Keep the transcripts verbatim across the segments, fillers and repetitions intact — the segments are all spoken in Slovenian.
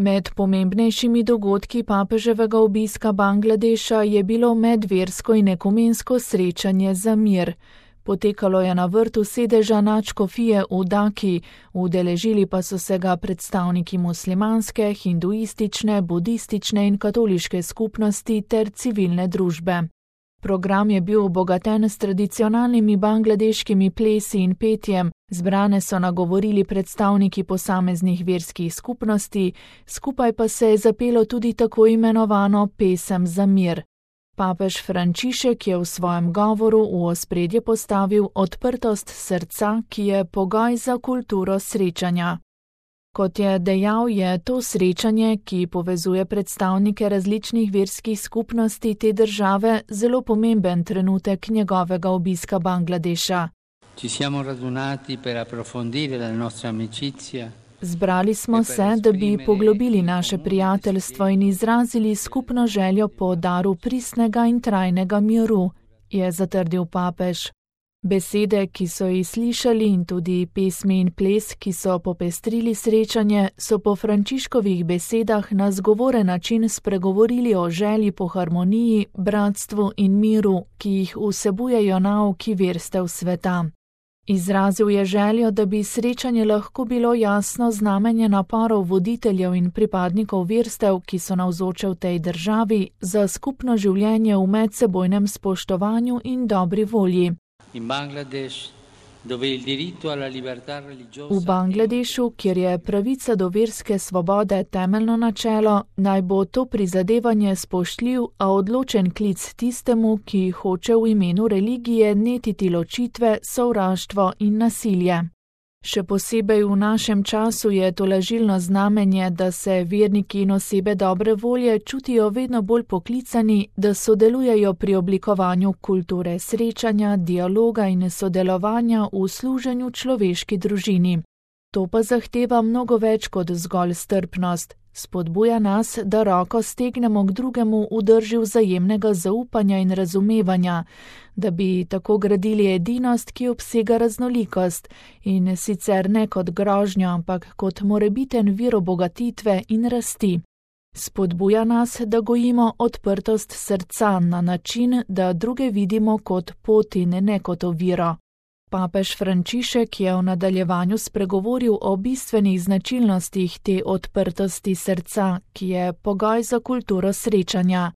Med pomembnejšimi dogodki papeževega obiska Bangladeša je bilo medversko in ekumensko srečanje za mir. Potekalo je na vrtu sedeža nadškofije v Daki, udeležili pa so se ga predstavniki muslimanske, hinduistične, budistične in katoliške skupnosti ter civilne družbe. Program je bil obogaten s tradicionalnimi bangladeškimi plesi in petjem, zbrane so nagovorili predstavniki posameznih verskih skupnosti, skupaj pa se je zapelo tudi tako imenovano pesem za mir. Papež Frančišek je v svojem govoru v ospredje postavil odprtost srca, ki je pogoj za kulturo srečanja. Kot je dejal, je to srečanje, ki povezuje predstavnike različnih verskih skupnosti te države, zelo pomemben trenutek njegovega obiska Bangladeša. Ci siamo radunati per approfondire la nostra amicizia. Zbrali smo se, da bi poglobili naše prijateljstvo in izrazili skupno željo po daru pristnega in trajnega miru, je zatrdil papež. Besede, ki so jih slišali, in tudi pesmi in ples, ki so popestrili srečanje, so po Frančiškovih besedah na zgovoren način spregovorili o želji po harmoniji, bratstvu in miru, ki jih vsebujejo nauki verstev sveta. Izrazil je željo, da bi srečanje lahko bilo jasno znamenje naporov voditeljev in pripadnikov verstev, ki so navzoče v tej državi, za skupno življenje v medsebojnem spoštovanju in dobri volji. In Bangladeš, dove il diritto alla libertà religiosa. V Bangladešu, kjer je pravica do verske svobode temeljno načelo, naj bo to prizadevanje spoštljiv, a odločen klic tistemu, ki hoče v imenu religije netiti ločitve, sovraštvo in nasilje. Še posebej v našem času je tolažilno znamenje, da se verniki in osebe dobre volje čutijo vedno bolj poklicani, da sodelujejo pri oblikovanju kulture srečanja, dialoga in sodelovanja v služenju človeški družini. To pa zahteva mnogo več kot zgolj strpnost. Spodbuja nas, da roko stegnemo k drugemu v drži vzajemnega zaupanja in razumevanja, da bi tako gradili edinost, ki obsega raznolikost, in sicer ne kot grožnjo, ampak kot morebiten vir obogatitve in rasti. Spodbuja nas, da gojimo odprtost srca na način, da druge vidimo kot pot in ne kot oviro. Papež Frančišek je v nadaljevanju spregovoril o bistvenih značilnostih te odprtosti srca, ki je pogoj za kulturo srečanja.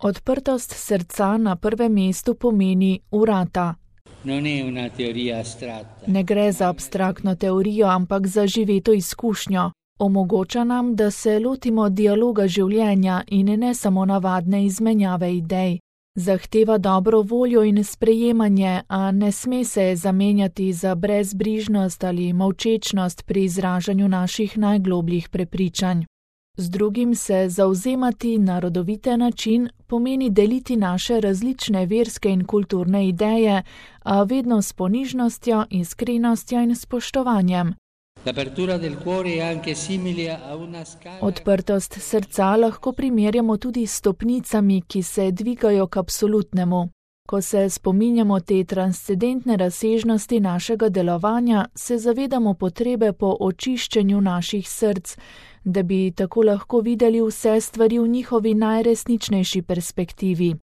Odprtost srca na prvem mestu pomeni vrata. Ne gre za abstraktno teorijo, ampak za živeto izkušnjo. Omogoča nam, da se lotimo dialoga življenja in ne samo navadne izmenjave idej. Zahteva dobro voljo in sprejemanje, a ne sme se zamenjati za brezbrižnost ali molčečnost pri izražanju naših najglobljih prepričanj. Z drugim se zavzemati na rodovite način pomeni deliti naše različne verske in kulturne ideje, a vedno s ponižnostjo, iskrenostjo in spoštovanjem. Odprtost srca lahko primerjamo tudi s stopnicami, ki se dvigajo k absolutnemu. Ko se spominjamo te transcendentne razsežnosti našega delovanja, se zavedamo potrebe po očiščenju naših src, da bi tako lahko videli vse stvari v njihovi najresničnejši perspektivi.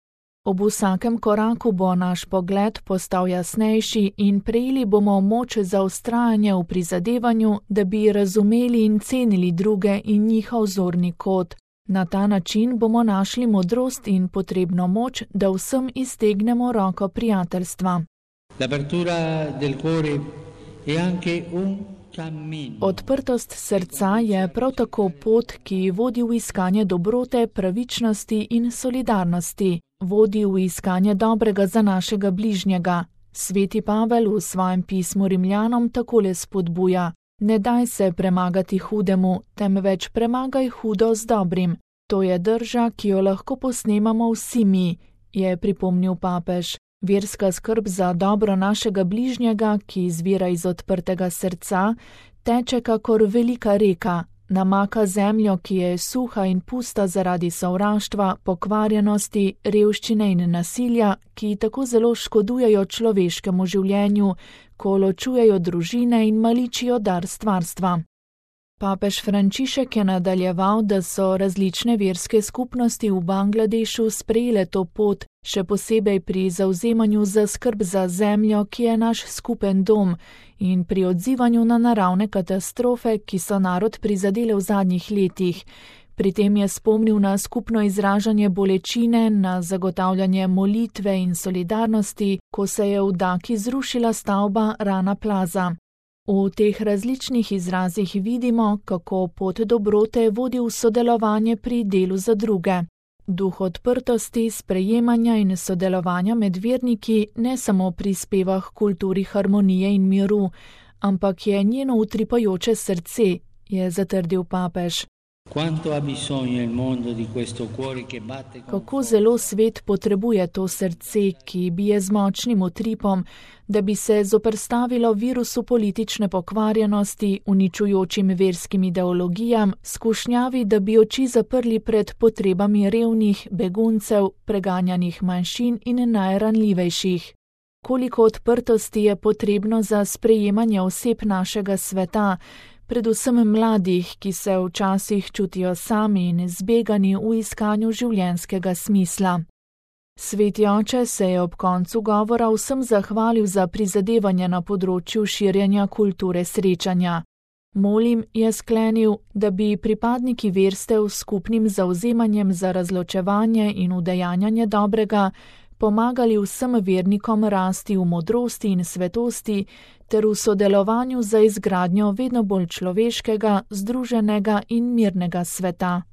Ob vsakem koraku bo naš pogled postal jasnejši in prejeli bomo moč za vztrajanje v prizadevanju, da bi razumeli in cenili druge in njihov zorni kot. Na ta način bomo našli modrost in potrebno moč, da vsem iztegnemo roko prijateljstva. Odprtost srca je prav tako pot, ki vodi v iskanje dobrote, pravičnosti in solidarnosti. Vodi v iskanje dobrega za našega bližnjega. Sveti Pavel v svojem pismu Rimljanom takole spodbuja: ne daj se premagati hudemu, temveč premagaj hudo z dobrim. To je drža, ki jo lahko posnemamo vsi mi, je pripomnil papež. Verska skrb za dobro našega bližnjega, ki izvira iz odprtega srca, teče kakor velika reka. Namaka zemljo, ki je suha in pusta zaradi sovraštva, pokvarjenosti, revščine in nasilja, ki tako zelo škodujejo človeškemu življenju, ko ločujejo družine in maličijo dar stvarstva. Papež Frančišek je nadaljeval, da so različne verske skupnosti v Bangladešu sprejele to pot, še posebej pri zavzemanju za skrb za zemljo, ki je naš skupen dom, in pri odzivanju na naravne katastrofe, ki so narod prizadele v zadnjih letih. Pri tem je spomnil na skupno izražanje bolečine, na zagotavljanje molitve in solidarnosti, ko se je v Daki zrušila stavba Rana Plaza. V teh različnih izrazih vidimo, kako pot dobrote vodi v sodelovanje pri delu za druge. Duh odprtosti, sprejemanja in sodelovanja med verniki ne samo prispeva k kulturi harmonije in miru, ampak je njeno utripajoče srce, je zatrdil papež. Kako zelo svet potrebuje to srce, ki bije z močnim utripom, da bi se zoperstavilo virusu politične pokvarjenosti, uničujočim verskim ideologijam, skušnjavi, da bi oči zaprli pred potrebami revnih, beguncev, preganjanih manjšin in najranljivejših. Koliko odprtosti je potrebno za sprejemanje oseb našega sveta, predvsem mladih, ki se včasih čutijo sami in zbegani v iskanju življenjskega smisla. Sveti oče se je ob koncu govora vsem zahvalil za prizadevanje na področju širjenja kulture srečanja. Molim, je sklenil, da bi pripadniki verstev s skupnim zavzemanjem za razločevanje in udejanjanje dobrega pomagali vsem vernikom rasti v modrosti in svetosti ter v sodelovanju za izgradnjo vedno bolj človeškega, združenega in mirnega sveta.